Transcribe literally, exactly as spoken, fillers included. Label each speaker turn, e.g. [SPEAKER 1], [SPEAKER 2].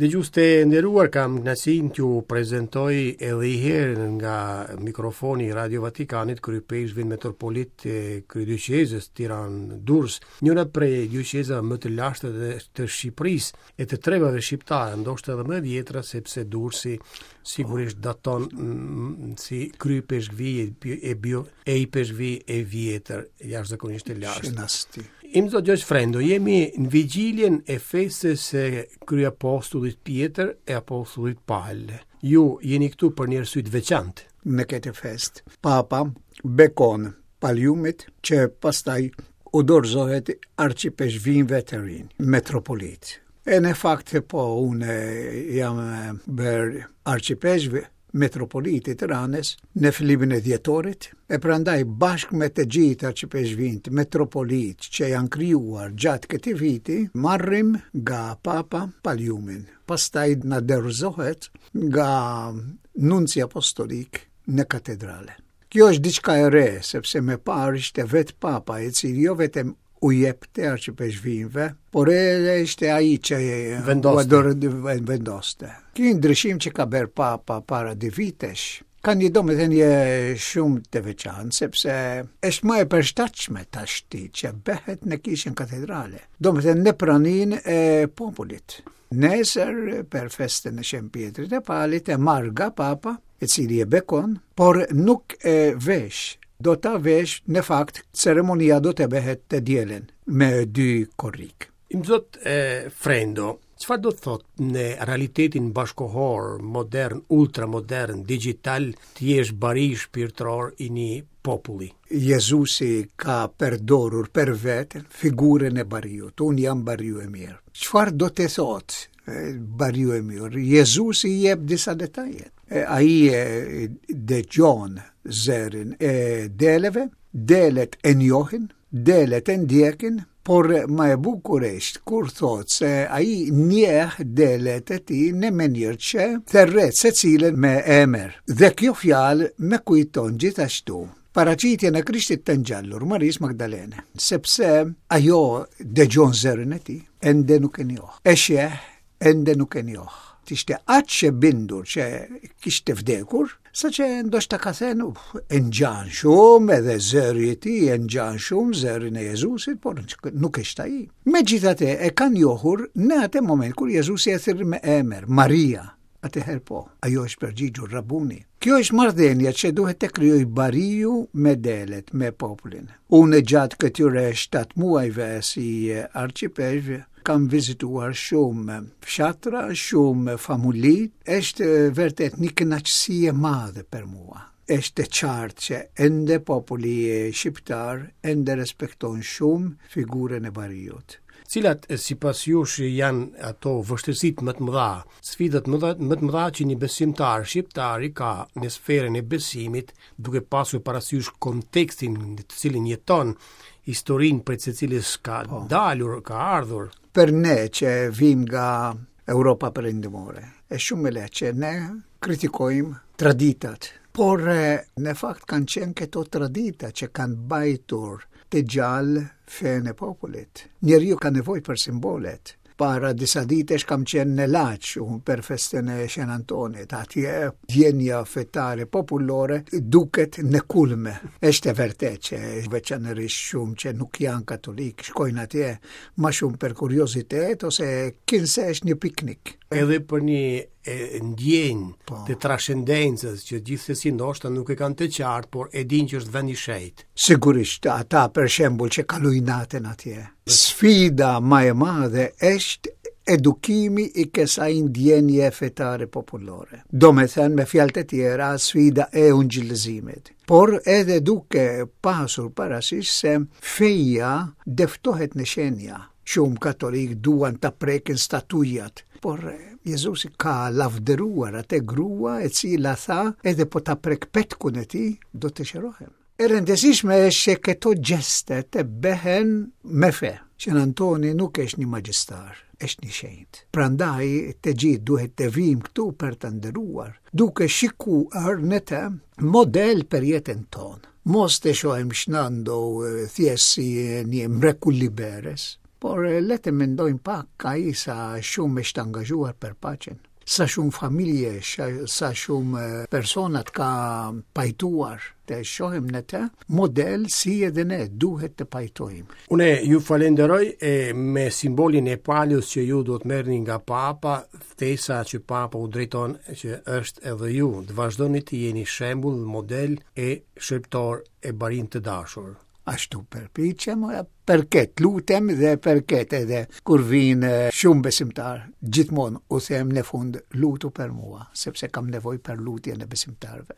[SPEAKER 1] Dëgjues të nderuar, kam kënaqësinë t'ju prezantoj edhe një herë nga mikrofoni i Radio Vatikanit Kryeipeshkvin Metropolit të Kryedioqezës Tiranë-Durrës, njëra prej dioqezave më të lashta dhe të Shqipërisë e të trevave shqiptare, ndoshta edhe më e vjetra, sepse Durrësi sigurisht daton mm, si kryeipeshkvi e bio e ipeshkvi e vjetër, jashtëzakonisht e lashtë.
[SPEAKER 2] Shenasti.
[SPEAKER 1] Imzot Gjergj Frendo, jemi në vigjiljen e festës së kryeapostullit Pjetër e apostullit Pal. Ju jeni këtu për një arsye të veçantë.
[SPEAKER 2] Në këtë fest, Papa bekon paliumit që pastaj u dorëzohet arqipeshkvinve të rinj, metropolit. E në fakt po, unë jam bërë arqipeshkv metropoliti të Tiranës në fillimin e dhjetorit, e prandaj bashkë me të gjithë arqipeshkvinët metropolit që janë krijuar gjatë këtij viti, marrim nga Papa paliumin. Pastaj na dorëzohet nga nunci apostolik në katedrale. Kjo është diçka e re, sepse me parë ishte vetë Papa, i cili jo vetëm u jepte arqipeshkvinve, por edhe ishte ai që
[SPEAKER 1] Vendoste.
[SPEAKER 2] ua vendoste. Ky ndryshim që ka bërë Papa para dy vitesh, ka një domethënie shumë të veçantë, sepse është më e përshtatshme tashti që bëhet në kishën katedrale. Domethënë në praninë e popullit. Nesër për festën e Shën Pietrit e Palit e marr nga Papa, e cili e bekon, por nuk e vesh. Do ta vesh, në fakt, ceremonia do të bëhet të dielën me dy korrik.
[SPEAKER 1] Imzot e, Frendo, çfarë do të thotë në realitetin bashkohor, modern, ultramodern, digital, të jesh bari shpirtëror i një populli?
[SPEAKER 2] Jezusi ka përdorur për veten figurën e bariut. Unë jam bariu e mirë. Çfarë do të thotë e, bariu e mirë? Jezusi jep disa detaje. E, Ai e dëgjon zërin e deleve, delet e njohin, delet e ndjekin, por më e bukur është kur thotë se ai njeh delet e tij në mënyrë që thërret secilën me emër. Dhe kjo fjalë më kujton gjithashtu paraqitjen e Krishtit të ngjallur Marisë Magdalene, sepse ajo dëgjon zërin e tij, ende nuk e njoh. E sheh, ende nuk e njoh. Ishte aq e bindur që kishte vdekur, sa që ndoshta ka thënë, "Uf, e ngjan shumë edhe zëri i tij e ngjan shumë zërin e Jezusit, por nuk është ai." Megjithatë e kanë njohur në atë moment kur Jezusi e thirri me emër, Maria. Atëherë po, ajo është përgjigjur Rabuni. Kjo është marrëdhënia që duhet të krijoj bariu me delet, me popullin. Unë gjatë këtyre shtatë muajve si arqipeshkv kam vizituar shumë fshatra, shumë famulli. Është vërtet një kënaqësi e madhe për mua. Është e qartë që ende populli shqiptar ende respekton shumë figurën e bariut.
[SPEAKER 1] Cilat sipas jush janë ato vështirësitë më të mëdha, sfidat më të më të mëdha që një besimtar shqiptar i ka në sferën e besimit, duke pasur parasysh kontekstin në të cilin jeton, historinë prej së cilës ka
[SPEAKER 2] Po.
[SPEAKER 1] dalur, ka ardhur?
[SPEAKER 2] Për ne që vim nga Europa Perëndimore, është shumë e lehtë që ne kritikojmë traditat, por e, në fakt kanë qenë këto tradita që kanë mbajtur të gjallë fenë e popullit. Njeriu ka nevojë për simbolet. Para disa ditesh kam qenë në Laç, unë për festën e Shën Antonit. Atje ndjenja fetare popullore duket në kulme. Është e vërtetë që veçanërisht shumë që nuk janë katolik, shkojnë atje më shumë për kuriozitet ose kinse është një piknik.
[SPEAKER 1] Edhe për një e, ndjenjë
[SPEAKER 2] Po.
[SPEAKER 1] të trascendencës që gjithsesi ndoshta nuk e kanë të qartë, por e dinë që është vend i shenjtë.
[SPEAKER 2] Sigurisht, ata për shembull që kalojnë natën atje. Sfida më e madhe është edukimi i kësaj ndjenje fetare popullore. Do me thënë, me fjalë të tjera, sfida e ungjillëzimit. Por edhe duke pasur parasysh se feja dëftohet në shenja. Shumë katolik duan ta prekin statujat, por Jezusi ka lavdëruar atë grua e cila tha, edhe po ta prek petkun e tij, do të shërohem. E rëndësishme është që këto gjeste të bëhen me fe. Shën Antoni nuk është një magjistar, është një shenjt. Prandaj të gjithë duhet të vijmë këtu për të nderuar, duke shikuar në të model për jetën tonë. Mos të shohim Shën Nando thjesht si një mrekullibërës, Por le të mendojmë pak, ai sa shumë është angazhuar për paqen, sa shumë familje, sa shumë personat ka pajtuar, të shohim në të model si edhe ne duhet të pajtojmë.
[SPEAKER 1] Une ju falenderoj e me simbolin e palës që ju do të merrni nga Papa, ftesa që Papa u drejton që është edhe ju, të vazhdoni të jeni shembull, model e shërbëtor e barin të dashur.
[SPEAKER 2] Ashtu përpiqem, për këtë lutem dhe për këtë edhe kur vinë shumë besimtar, gjithmonë u them në fund lutu për mua, sepse kam nevojë për lutjen e besimtarëve.